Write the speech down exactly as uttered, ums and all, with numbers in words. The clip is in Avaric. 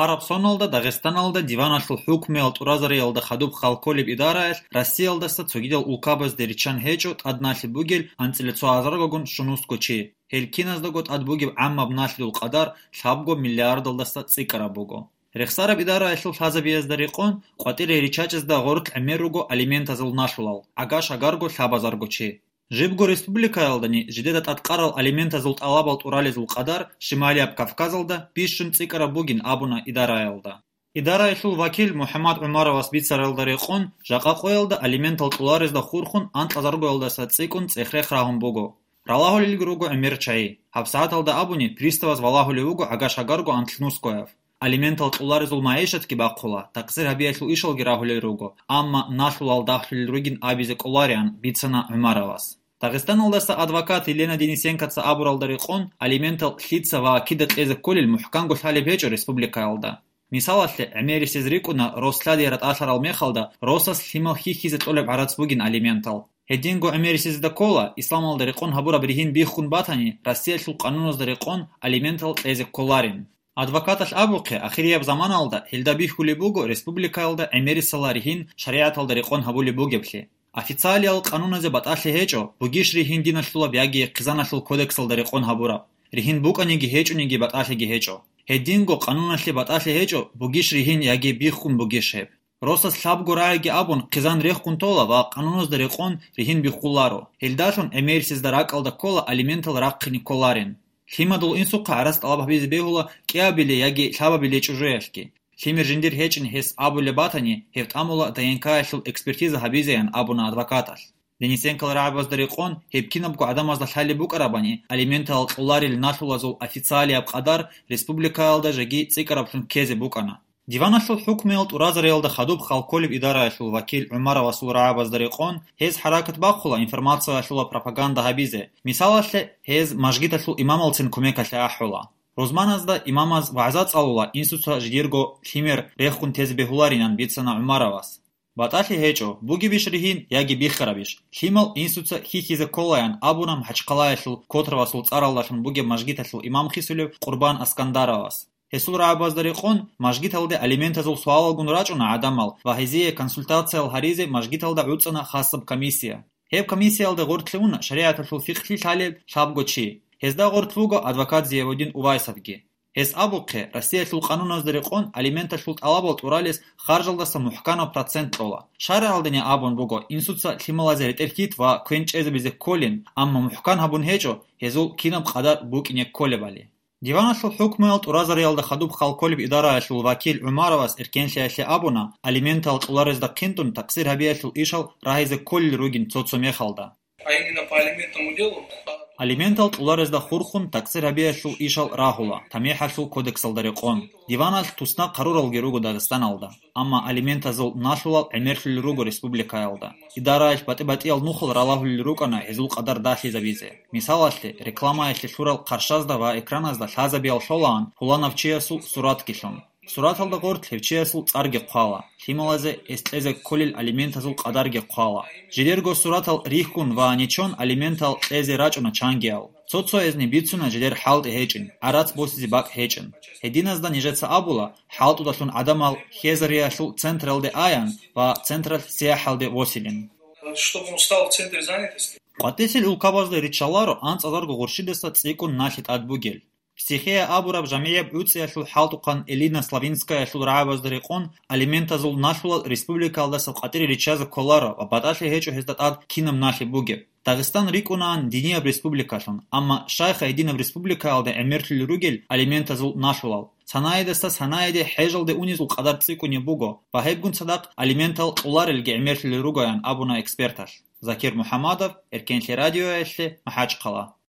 Араб соналда Дагъистаналда диваналъул хӀукмуял тӀуразариялда хадуб хал кколеб идараялъ Россиялдаса цогидал улкабазде риччан гьечӀо тӀад налъи бугел анцӀила цо гьазаргагун щунусго чи. Гьел киназдаго тӀад бугеб гӀаммаб налъидул къадар лъабго миллиардалдаса цӀикӀкӀараб буго. Рехсараб идараялъул лъазабиязда рекъон, къватӀире риччачӀезда гъорлъ гӀемер руго алиментазул налъулал, гӀага-шагарго лъабазарго чи. Жибго республикаялдани жидеда тӀадкъарал алиментазул тӀалабал тӀуралезул къадар Шималияб Кавказалда бищун цӀикӀкӀараб бугин абуна идараялда. Идараялъул вакил МухӀаммад ГӀумаровас бицаралда рекъон, жакъа къоялда алиментал тӀуларезда хурхун анкьазаргоялдаса цӀикӀкӀун цӀех-рех рагьун буго. Ралагьулелги руго гӀемер чагӀи. ГьабсагӀаталда абуни, приставас валагьулев вуго гӀага-шагарго анлънускояв. Алиментал тӀуларезул магӀишатги бахъула, такъсир гьабиялъул ишалги рагьулел руго, амма налъулал дагьлъулел ругин абизе кӀолариан, бицана ГӀумаровас. Дагъистаналдаса адвокат Елена Денисенкоца абуралда рекъон, алиментал лъица ва кида кьезе кколел мухӀканго лъалеб гьечӀо республикаялда. Мисалалъе, гӀемерисез рикӀкӀуна, рос-лъади ратӀалъарал мехалда росас лъимал хьихьизе кьолеб гӀарац бугин алиментал. Гьединго гӀемерисезда ккола, исламалда рекъон гьабураб ригьин биххун батани, Россиялъул къануназда рекъон алиментал кьезе кколарин. Адвокаталъ абухъе, ахирияб заманалда гьелда бихьулеб буго республикаялда гӀемерисала ригьин шаригӀаталда рекъон гьабулеб бугеблъи. Официалиял къануназе батӀалъи гьечӀо, бугищ ригьин диналъулаб яги хъизаналъул кодексалда рекъон гьабураб. Ригьин букӀаниги гьечӀониги батӀалъиги гьечӀо. Гьединго къануналъе батӀалъи гьечӀо, бугищ ригьин яги биххун бугищ гьеб. Росас лъабго рагӀиги абун хъизан рехун тола ва къануназда рекъон ригьин биххуларо. Гьелдалъун гӀемерисезда ракӀалда ккола алиментал рахъине кколарин. Лъимадул инсухъа гӀарац тӀалаб гьабизе бегьула кӀиабиле яги лъабабиле чӀужуялъги. Лъимер жиндир гьечӀин гьес абулеб батани, гьев тӀамула ДНК-ялъул экспертиза гьабизеян абуна адвокаталъ. Денисенкал рагӀабазда рекъон, гьеб кинабго гӀадамазда лъалеб букӀарабани, алиментал кьоларел налъулазул официалияб къадар республикаялда жеги цӀикӀкӀараблъун ккезе букӀана. Диваналъул хӀукмуял тӀуразариялда хадуб хал кколеб идараялъул вакил ГӀумаровасул рагӀабазда рекъон, гьез хӀаракат бахъула информациялъула пропаганда гьабизе. Мисалалъе, гьез мажгиталъул имамалцин кумекалъе ахӀула. Рузманазда имамаз вагӀза цӀалула инсуца жидерго лъимер рехун тезе бегьуларинан бицана ГӀумаровас. БатӀалъи гьечӀо, бугебищ ригьин яги биххарабищ, лъимал инсуца хьихьизе кколаян абуна МахӀачхъалаялъул Котровасул цӀаралдалъун бугеб мажгиталъул имам хисулев Къурбан Аскандаровас. Гьесул рагӀабазда рекъон, мажгиталде алиментазул суалалгун рачӀуна гӀадамал ва гьезие консультациял гьаризе мажгиталда гӀуцӀана хасаб комиссия. Гьеб комиссиялда гъорлъе уна шаригӀаталъул фикълъи лъалел лъабго чи. Гьезда гъорлъ вуго адвокат Зиявуддин Увайсовги. Гьес абухъе, Россиялъул къануназда рекъон алименталъул тӀалабал тӀуралес харжалдаса мухӀканаб процент кьола. ШаргӀалдани абун буго, инсуца лъималазе ретӀел хьит ва квен чӀезабизе кколин, амма мухӀкан гьабун гьечӀо гьезул кинаб къадар букӀине кколебали. Диваналъул хӀукмуял тӀуразариялда хадуб хал кколеб идараялъул вакил ГӀумаровас эркенлъиялъе абуна, алиментал кьоларезда хъинтӀун такъсир гьабиялъул ишал рагьизе кколел ругин цо-цо мехалда. А именно по алиментному делу? Алиментал кьоларезда хурхун такъсир гьабиялъул ишал рагьула, ТамихӀалъул кодексалда рекъон. Диваналъ туснахъ гьаруралги руго Дагъистаналда. Амма алиментазул налъулал гӀемерлъулел руго республикаялда. Идараялъ батӀи-батӀиял нухал ралагьулел рукӀана гьезул къадар дагьлъизабизе. Мисалалъе, рекламаялъе лъурал хъарщазда ва экраназда лъазабиял лъолаан пуланав чиясул суратги лъун. Сураталда гъорлъ гьев чиясул цӀарги хъвала, лъималазе гьес кьезе кколел алиментазул къадарги хъвала. Жидерго суратал рихьун ва нечон алиментал кьезе рачӀуна чангиял. Цо-цоязни бицуна жидер хӀалтӀи гьечӀин, гӀарац босизе бакӀ гьечӀин. Гьединазда нижеца абула, хӀалтӀудалъун гӀадамал хьезариялъул централде аян ва централъ сияхӀалде восилин. Чтобы он стал в центре занятости. КъватӀисел улкабазда риччаларо анцӀазарго гъурщидаса цӀикӀкӀун налъи тӀад бугел. Психея абураб жамигӀияб гӀуцӀиялъул хӀалтӀухъан Элина Славинскаялъул рагӀабазда рекъон алиментазул налъулал республикаялдаса къватӀире риччазе кколаро ва батӀалъи гьечӀо гьезда тӀад кинаб налъи бугеб. Дагъистан рикӀкӀунаан динияб республикалъун, амма щайха гьединаб республикаялда гӀемерлъулел ругел алиментазул налъулал? Санаидаса санаиде хӀежалде унезул къадар цӀикӀкӀунеб буго ва гьебгун цадахъ алиментал кьоларелги гӀемерлъулел ругоян абуна эксперталъ. Закир МухӀамадов, Эркенлъи радиоялъе, МахӀачхъала.